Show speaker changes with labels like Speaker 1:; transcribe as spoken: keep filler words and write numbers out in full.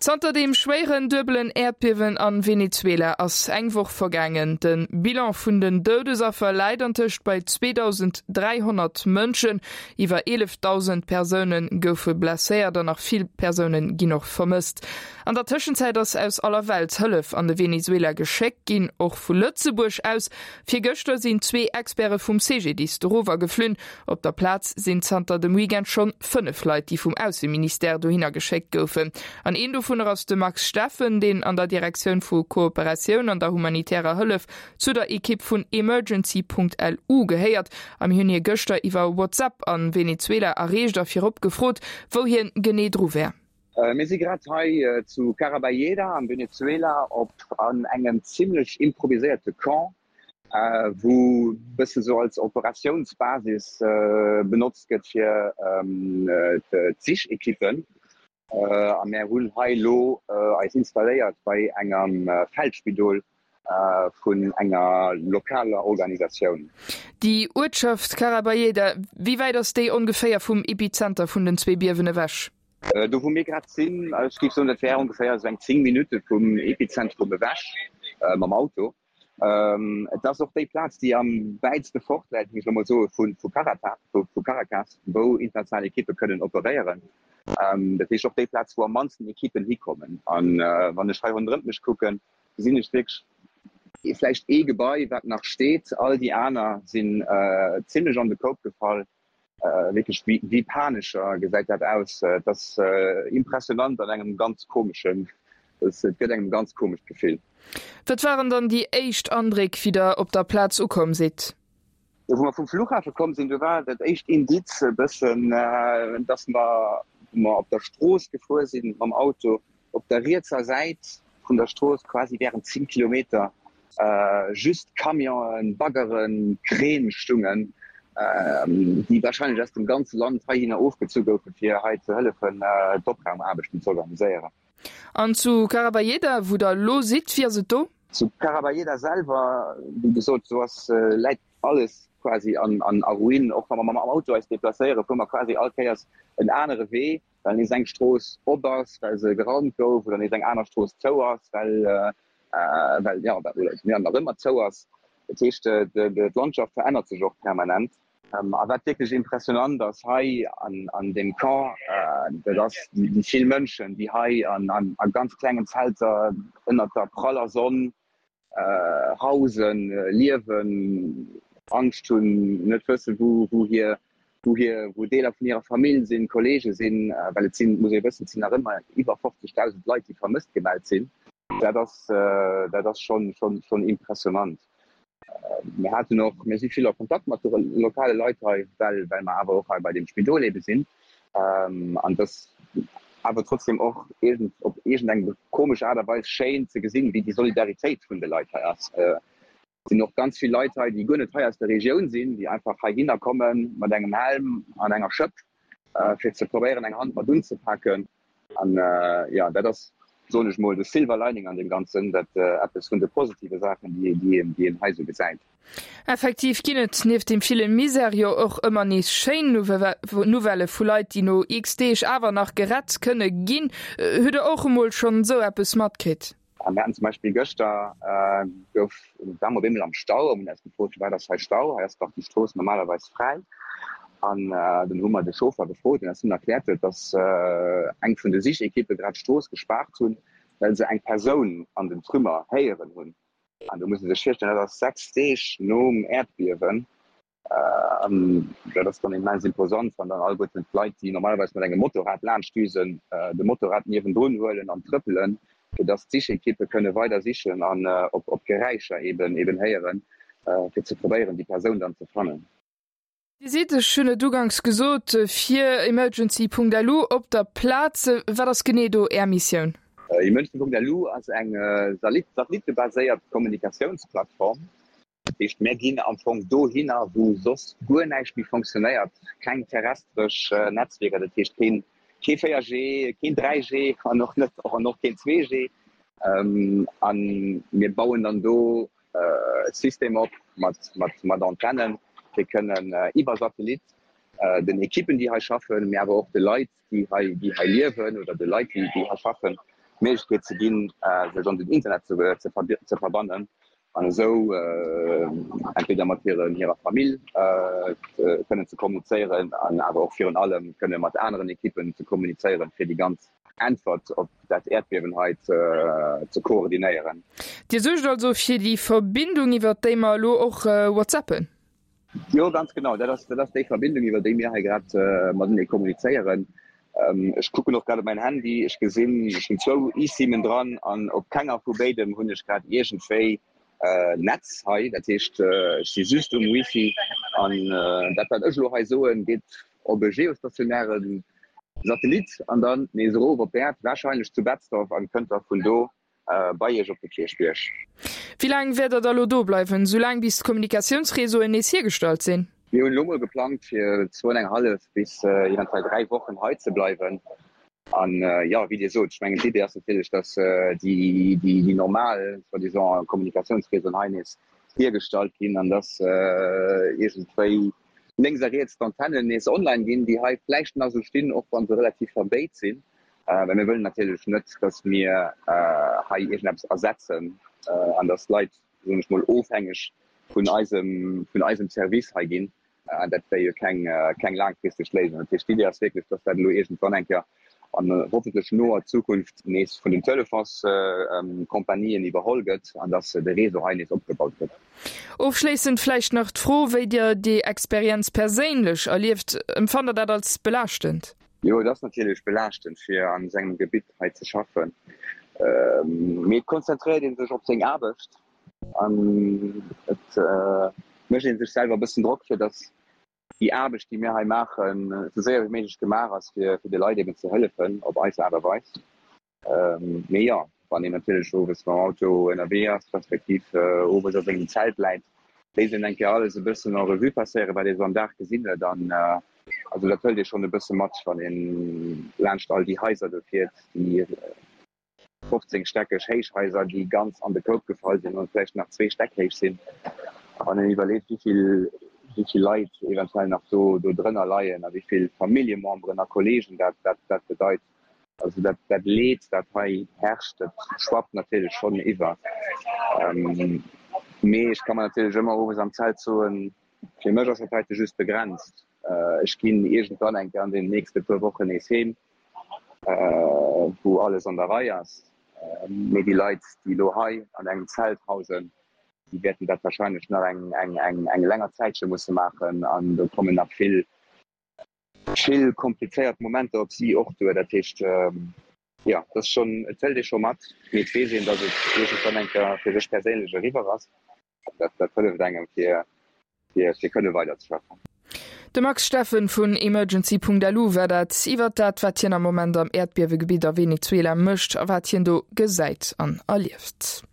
Speaker 1: Zanter deem schwéieren duebelen Äerdbiewen a Venezuela ass eng Woch vergaangen. De Bilan vun den Doudesaffer läit antëscht bei zweedausend dräihonnert Mënschen. Iwwer eelefdausend Persoune goufe blesséiert an nach vill Persoune ginn och vermësst. An der Tëschenzäit ass aus aller Welt Hëllef an de Venezuela geschéckt ginn, och vu Lëtzebuerg aus. Virgëschter sinn zwee Experte vum C G D I S doriwwer geflunn. Op der Plaz sinn zanter dem Weekend schonn fënnef Leit, déi vum Ausseministère dohinner geschéckt goufen. An een dovunner ass de Max Steffen, deen an der Direktioun vu Kooperatioun an der humanitärer Hëllef zu der Ekipp vun Emergency Punkt L U gehéiert. A mir hunn hie gëschter iwwer WhatsApp a Venezuela erreecht a virop gefrot, wou hien genee dru wär.
Speaker 2: Mir si grad hei zu Caraballeda am Venezuela op an engem zimmlech improviséierte Camp, wou bësse sou als Operatiounsbasis benotzt gëtt fir d'Sichekippen. A mär hunn hei elo eis installéiert bei engem Feldspidol vun enger lokaler Organisatioun.
Speaker 1: Déi Uertschaft Caraballeda, wéi wäit ass déi ongeféier vum Epizenter vun den zwee Biewen ewech?
Speaker 2: Do wou mir grad sinn, ech géif soen, dat wär ongeféier esou eng zéng Minutte vum Epizentrum ewech mam Auto. Et ass och déi Plaz, déi am wäitste fort läit, géif ech elo mol soen, vu vu Caracas, wou international Ekippe kënnen operéieren. Dat heescht och déi Plaz, wou am mannsten Ekippen hikommen. An wann ech hei ronderëmt mech kucken, gesinn ech wierklech vläicht ee Gebai, wat nach steet. All déi aner sinn zimmlech an de Koup gefall. Wierklech wéi Panescher gesäit dat aus. Et ass impressionant an engem ganz komeschen, et gëtt engem e ganz komescht Gefill.
Speaker 1: Wat waren dann déi éischt Andréck, wéi Der op der Plaz ukomm sidd?
Speaker 2: Wou mer vum Flughafe komm sinn, do war dat éischt Indiz e bëssen, dass mer, wou mer op der Strooss gefuer sinn mam Auto, op der rietser Säit vun der Strooss quasi während zéng Kilometer just Camionen, Baggeren, Kräne stungen, déi wahrscheinlech aus dem ganze Land heihinner ofgezu goufen, fir hei ze hëllefen, d'Opraumaarbechten ze organiséieren.
Speaker 1: An zu Caraballeda, wou Der elo sidd, wéi ass et do?
Speaker 2: Zu Caraballeda selwer, wéi gesot, do ass, läit alles quasi an a Ruinen. Och wa mer mam Auto eis deplacéieren, fuere mer quasi all Kéiers en anere Wee, well nees eng Strooss op ass, well se geraumt gouf, oder nees eng aner Strooss zou ass, well, well, jo, oder ja, nach ëmmer zou ass. Dat heescht, d'Landschaft verännert sech och permanent. A wat wierklech impressionant ass hei an, an deem Camp, dat ass déi vill Mënschen, déi hei an, an, a ganz klengen Zelter ënnert der praller Sonn hausen, liewen, Angscht hunn, net wëssen, wou, wou hir, wou hir, wou Deeler vun hirer Famill sinn, Kolleege sinn, well et sinn, muss ee wëssen, et sinn nach ëmmer iwwer fofzegdausend Leit, déi vermësst gemellt sinn. Dat ass, dat ass schonn, schonn, schonn impressionant. Mir haten och, mir si vill a Kontakt mat de lokale Leit hei, well, well mer awer och hei bei deem Spidol ebe sinn. An et ass awer trotzdem och iergend, op iergendeng komesch Aart a Weis schéin ze gesinn, wéi déi Solidaritéit vun de Leit hei ass. Et sinn och ganz vill Leit hei, déi guer net hei aus der Regioun sinn, déi einfach heihinner komme mat engem Helm an enger Schëpp, fir ze probéieren, eng Hand mat unzepaken. An jo, dat ass, soen ech mol, de Silver Lining an deem Ganzen, dat eppes vun de positive Saachen, déi een, déi een hei esou gesäit.
Speaker 1: Effektiv ginn et nieft deem ville Misär jo och ëmmer nees schéin Nouvellë vu Leit, déi no x Deeg awer nach gerett kënne ginn. Hutt Der och emol schonn esou eppes matkritt?
Speaker 2: Mir haten zum Beispill gëschter, gouf, ware mer op eemol am Stau a hunn eis gefrot, firwat ass hei Stau, hei ass dach déi Strooss normalerweis fräi. An dunn hu mer de Chauffer gefrot, deen eis dunn erkläert huet, dass eng vun de Sichekippe grad d'Strooss gespaart hunn, well se eng Persoun an den Trümmer héieren hunn. An do muss ee sech virstellen, dat ass sechs Deeg nom Äerdbiewen. An dat ass dann immens imposant, wann dann alleguerten d'Leit, déi normalerweis mat engem Motorrad laanscht düsen, de Motorrad niewendrun huelen an trëppelen, fir dass d'Sichekippe kënne weider sichen an op Geräischer eben eben héieren, fir ze probéieren, déi Persoun dann ze fannen.
Speaker 1: Dir sidd, ech hunn et uganks gesot, fir Emergency Punkt L U op der Plaz. Wat ass genee do Är Missioun?
Speaker 2: Emergency Punkt L U ass eng satellittebaséiert Kommunikatiounsplattform. Dat heescht, mär ginn am Fong dohinner, wou soss guer näischt méi fonctionnéiert, keng terrestresch Netzwierker, dat heescht keen kee véier G, keen dräi G an och net an och keen zwee G. A mir bauen dann do e System op mat mat Antennen, fir kënnen iwwer Satellit den Ekippen, déi hei schaffen, mee awer och de Leit, déi hei déi hei liewen oder de Leit, déi déi hei schaffen, d'Méiglechkeet ze ginn, sech an den Internet ze verbannen an esou entweder mat hirer Famill kënnen ze kommunizéieren an awer och virun allem kënne mat aneren Ekippen ze kommunizéieren, fir déi ganz Äntwert op dat Äerdbiewen hei ze koordinéieren.
Speaker 1: Dir suergt also fir déi Verbindung, iwwert déi mer elo och whatsappen?
Speaker 2: Jo, ganz genau. Dat ass, dat ass déi Verbindung, iwwer déi mir hei grad matenee kommunizéieren. Ech kucken och grad op mäin Handy. Ech gesinn, ech hunn zwou eSIMen dran an op kenger vu béidem hunn ech grad iergendwéi Netz hei. Dat heescht, ech si just um Wifi an dat, wat ech elo hei soen, geet op e geostationäre Satellit an dann nees erof op d'Äerd, warscheinlech zu Betzdorf, an kënnt da vun do bei Iech op de Kierchbierg.
Speaker 1: Wéi laang wäert der da lo do bleiwen? Sou laang bis d'Kommunikatiounsreseauen nees hiergestallt sinn?
Speaker 2: Mir hunn elo mol geplangt fir zwou an eng hallef bis eventuell dräi Wochen hei ze bleiwen. An jo, wéi Dir sot, ech mengen d'Idee ass natierlech, datt déi normal, soi-disant, Kommunikatiounsreseauen hei nees hiergestallt ginn an datt iergendwéi lénks a riets d'Antennen nees online ginn, déi hei vläicht nach esou stinn, och wa se relativ verbéit sinn. Well mir wëllen natierlech net, datt mir hei iergendeppes ersetzen an datt d'Leit, soen ech mol, ofhängeg vun eisem, vun eisem Service hei ginn. Dat wär jo keng, keng laangfristeg Léisung. Dat heescht, d'Idee ass wierklech, datt dat elo iergendwann eng Kéier an hoffentlech noer Zukunft nees vun den Telefonskompanien iwwerholl gëtt an datt de Réseau hei nees opgebaut gëtt.
Speaker 1: Ofschléissend vläicht nach d'Fro, wéi Dir déi Experienz perséinlech erlieft. Empfannt Der dat als belaaschtend?
Speaker 2: Jo, et ass natierlech belaaschtend, fir an esou engem Gebitt hei ze schaffen, mee et konzentréiert ee sech op seng Aarbecht an et mécht ee sech selwer e bëssen Drock, fir datt déi Aarbecht, déi mir hei maachen, esou séier wéi méiglech gemaach ass, fir de Leit eben ze hëllefen op eis Aart a Weis. Mee jo, wann een natierlech owes mam Auto ënnerwee ass, respektiv owes a sengem Zelt läit, léisst een eng Kéier alles e bëssen en revue passéieren, wat ee sou am Dag gesinn huet. An also dat hëlt ee schonn e bësse mat, wann ee laanscht all déi Haiser do fiert, déi fofzéngstäckeg Héichhaiser, déi ganz an de Koup gefall sinn an vläicht nach zwee Stäck héich sinn. A wann een iwwerleet, wéi vill, wéi vill Leit eventuell nach do do drënner leien a wéi vill Familljememberen a Kolleegen dat dat dat bedeit. Also dat dat Leed, dat hei herrscht, dat schwappt natierlech schonn iwwer. Mee ech ka mer natierlech ëmmer owes am Zelt soen, fir mech ass dat heite just begrenzt. Ech ginn iergendwann eng Kéier an den nächste puer Wochen nees heem, wou alles an der Rei ass. Mee déi Leit, déi elo hei an engem Zelt hausen, déi wäerten dat warscheinlech nach eng eng eng eng länger Zäitche musse maachen an do kommen nach vill vill komplizéiert Momenter op si och duer. Dat heescht, jo, et ass schonn, et hëlt ee scho mat, mee et weess een, datt et iergendwann eng Kéier fir sech perséinlech eriwwer ass. Dat, dat hëlleft engem, fir, fir, fir kënne weiderzeschaffen.
Speaker 1: De Max Steffen vun Emergency.lu war dat iwwer dat, wat hien am Moment am Äerdbiewegebitt a Venezuela mécht a wat hien do gesäit an erlieft.